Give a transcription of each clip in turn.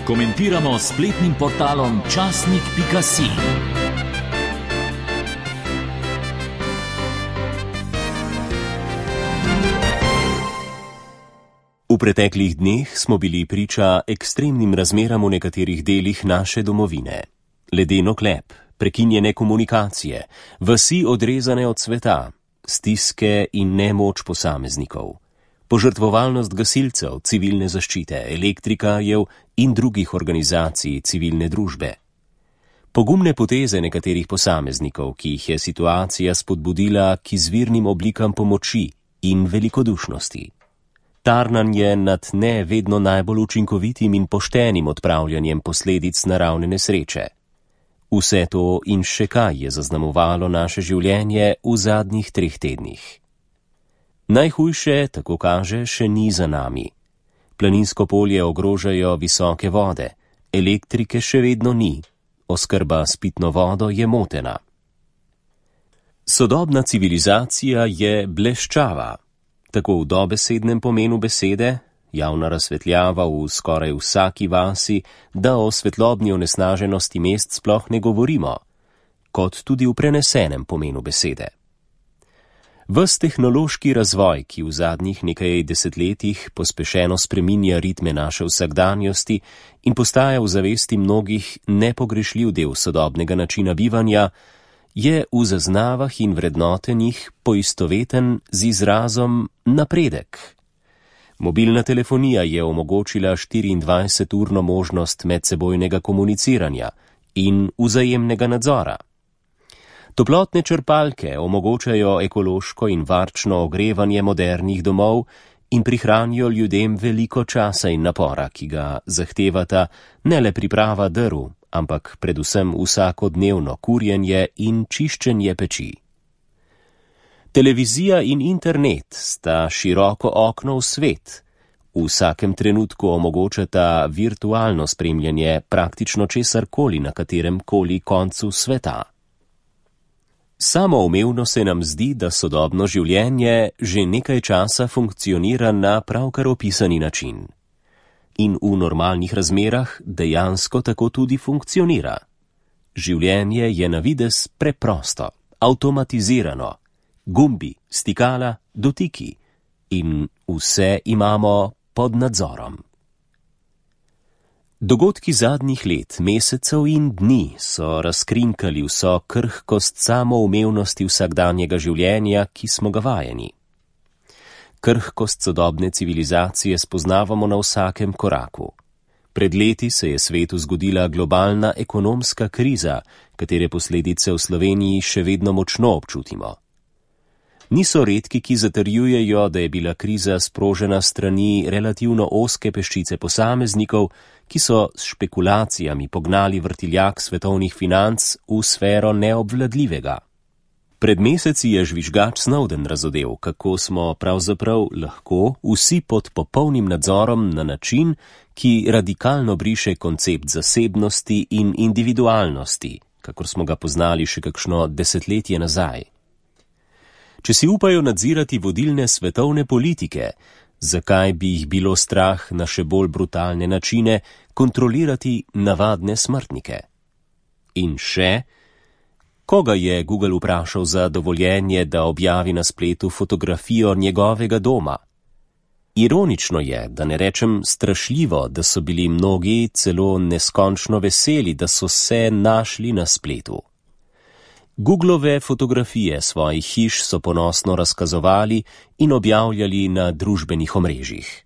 Komentiramo s spletnim portalom časnik.si. V preteklih dneh smo bili priča ekstremnim razmeram v nekaterih delih naše domovine. Ledeno klep, prekinjene komunikacije, vasi odrezane od sveta, stiske in nemoč posameznikov, požrtvovalnost gasilcev, civilne zaščite, elektrikajev in drugih organizacij civilne družbe. Pogumne poteze nekaterih posameznikov, ki jih je situacija spodbudila k izvirnim oblikam pomoči in velikodušnosti. Tarnanje nad ne vedno najbolj učinkovitim in poštenim odpravljanjem posledic naravne nesreče. Vse to in še kaj je zaznamovalo naše življenje v zadnjih 3 tednih. Najhujše, tako kaže, še ni za nami. Planinsko polje ogrožajo visoke vode, elektrike še vedno ni, oskrba s pitno vodo je motena. Sodobna civilizacija je bleščava, tako v dobesednem pomenu besede, javna razsvetljava v skoraj vsaki vasi, da o svetlobni onesnaženosti mest sploh ne govorimo, kot tudi v prenesenem pomenu besede. Ves tehnološki razvoj, ki v zadnjih nekaj desetletjih pospešeno spreminja ritme naše vsakdanjosti in postaja v zavesti mnogih nepogrešljiv del sodobnega načina bivanja, je v zaznavah in vrednotenjih poistoveten z izrazom napredek. Mobilna telefonija je omogočila 24-urno možnost medsebojnega komuniciranja in vzajemnega nadzora. Toplotne črpalke omogočajo ekološko in varčno ogrevanje modernih domov in prihranijo ljudem veliko časa in napora, ki ga zahtevata ne le priprava drv, ampak predvsem vsakodnevno kurjenje in čiščenje peči. Televizija in internet sta široko okno v svet. V vsakem trenutku omogočata virtualno spremljanje praktično česarkoli na katerem koli koncu sveta. Samoumevno se nam zdi, da sodobno življenje že nekaj časa funkcionira na pravkar opisani način. In v normalnih razmerah dejansko tako tudi funkcionira. Življenje je na videz preprosto, avtomatizirano, gumbi, stikala, dotiki in vse imamo pod nadzorom. Dogodki zadnjih let, mesecev in dni so razkrinkali vso krhkost samoumevnosti vsakdanjega življenja, ki smo ga vajeni. Krhkost sodobne civilizacije spoznavamo na vsakem koraku. Pred leti se je svetu zgodila globalna ekonomska kriza, katere posledice v Sloveniji še vedno močno občutimo. Niso redki, ki zatrjujejo, da je bila kriza sprožena strani relativno ozke peščice posameznikov, ki so s špekulacijami pognali vrtiljak svetovnih financ v sfero neobvladljivega. Pred meseci je žvižgač Snowden razodel, kako smo pravzaprav lahko vsi pod popolnim nadzorom na način, ki radikalno briše koncept zasebnosti in individualnosti, kakor smo ga poznali še kakšno desetletje nazaj. Če si upajo nadzirati vodilne svetovne politike, zakaj bi jih bilo strah na še bolj brutalne načine kontrolirati navadne smrtnike? In še, koga je Google vprašal za dovoljenje, da objavi na spletu fotografijo njegovega doma? Ironično je, da ne rečem strašljivo, da so bili mnogi celo neskončno veseli, da so se našli na spletu. Googlove fotografije svojih hiš so ponosno razkazovali in objavljali na družbenih omrežjih.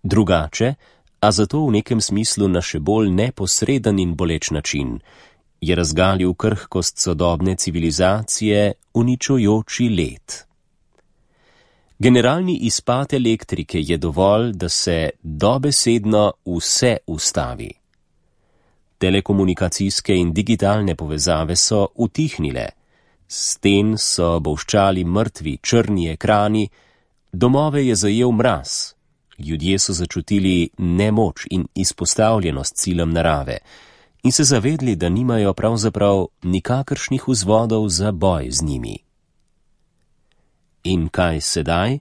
Drugače, a zato v nekem smislu na še bolj neposreden in boleč način, je razgalil krhkost sodobne civilizacije uničujoči led. Generalni izpad elektrike je dovolj, da se dobesedno vse ustavi. Telekomunikacijske in digitalne povezave so utihnile, sten so bolščali mrtvi črni ekrani, domove je zajel mraz, ljudje so začutili nemoč in izpostavljenost silom narave in se zavedli, da nimajo pravzaprav nikakršnih vzvodov za boj z njimi. In kaj sedaj?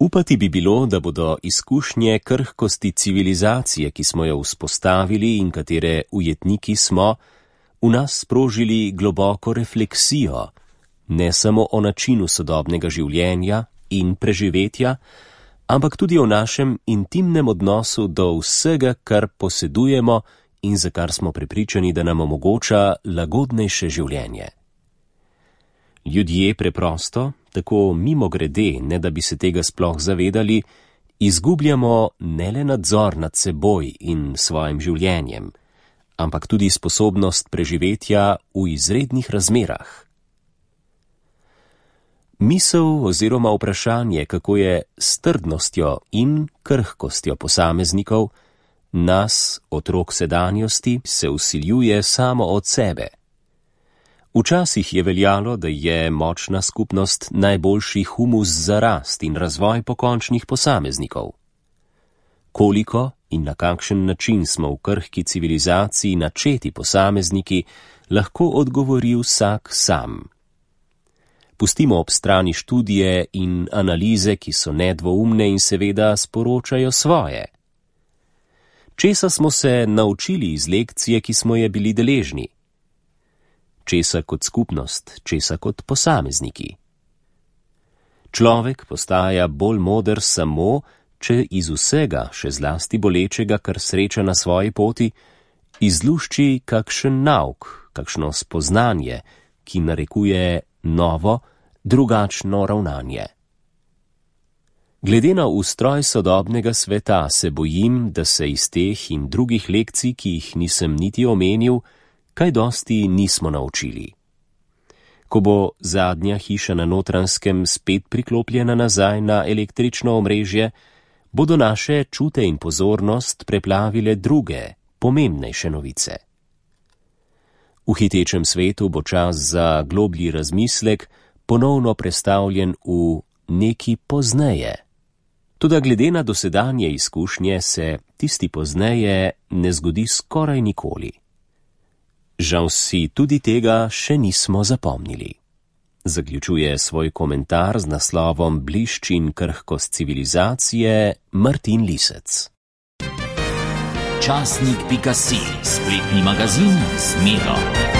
Upati bi bilo, da bodo izkušnje krhkosti civilizacije, ki smo jo vzpostavili in katere ujetniki smo, v nas sprožili globoko refleksijo, ne samo o načinu sodobnega življenja in preživetja, ampak tudi o našem intimnem odnosu do vsega, kar posedujemo in za kar smo prepričani, da nam omogoča lagodnejše življenje. Ljudje preprosto, tako mimogrede, ne da bi se tega sploh zavedali, izgubljamo ne le nadzor nad seboj in svojim življenjem, ampak tudi sposobnost preživetja v izrednih razmerah. Misel oziroma vprašanje, kako je s trdnostjo in krhkostjo posameznikov, nas, otrok sedanjosti, se vsiljuje samo od sebe. Včasih je veljalo, da je močna skupnost najboljši humus za rast in razvoj pokončnih posameznikov. Koliko in na kakšen način smo v krhki civilizaciji načeti posamezniki, lahko odgovori vsak sam. Pustimo ob strani študije in analize, ki so nedvoumne in seveda sporočajo svoje. Česa smo se naučili iz lekcije, ki smo je bili deležni? Česa kot skupnost, česa kot posamezniki? Človek postaja bolj moder samo, če iz vsega, še zlasti bolečega, kar sreča na svoji poti, izlušči kakšen nauk, kakšno spoznanje, ki narekuje novo, drugačno ravnanje. Glede na ustroj sodobnega sveta se bojim, da se iz teh in drugih lekcij, ki jih nisem niti omenil, kaj dosti nismo naučili. Ko bo zadnja hiša na Notranjskem spet priklopljena nazaj na električno omrežje, bodo naše čute in pozornost preplavile druge, pomembnejše novice. V hitečem svetu bo čas za globlji razmislek ponovno prestavljen v neki pozneje. Toda glede na dosedanje izkušnje se tisti pozneje ne zgodi skoraj nikoli. Žal si tudi tega še nismo zapomnili. Zaključuje svoj komentar z naslovom Blišč in krhkost civilizacije Martin Lisec. Časnik.si, spletni magazin z Medo.